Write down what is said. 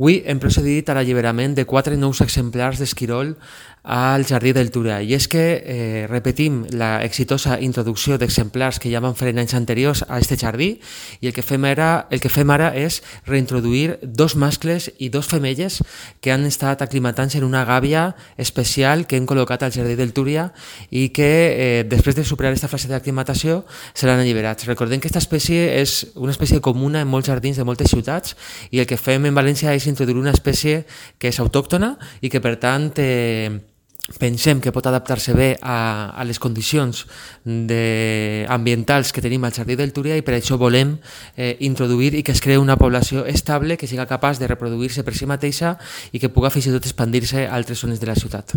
Avui hem procedit a l'alliberament de 4 nous exemplars d'esquirol al Jardí del Túria. I és que repetim la exitosa introducció d'exemplars que ja vam fer en anys anteriors a aquest jardí i el que fem ara és reintroduir 2 mascles i 2 femelles que han estat aclimatant-se en una gàbia especial que hem col·locat al Jardí del Túria i que després de superar aquesta fase d'aclimatació seran alliberats. Recordem que aquesta espècie és una espècie comuna en molts jardins de moltes ciutats i el que fem en València és introduir una espècie que és autòctona i que per tant pensem que pot adaptar-se bé a les condicions ambientals que tenim al Jardí del Túria i per això volem introduir i que es creï una població estable que siga capaç de reproduir-se per si mateixa i que puga fins i tot expandir-se a altres zones de la ciutat.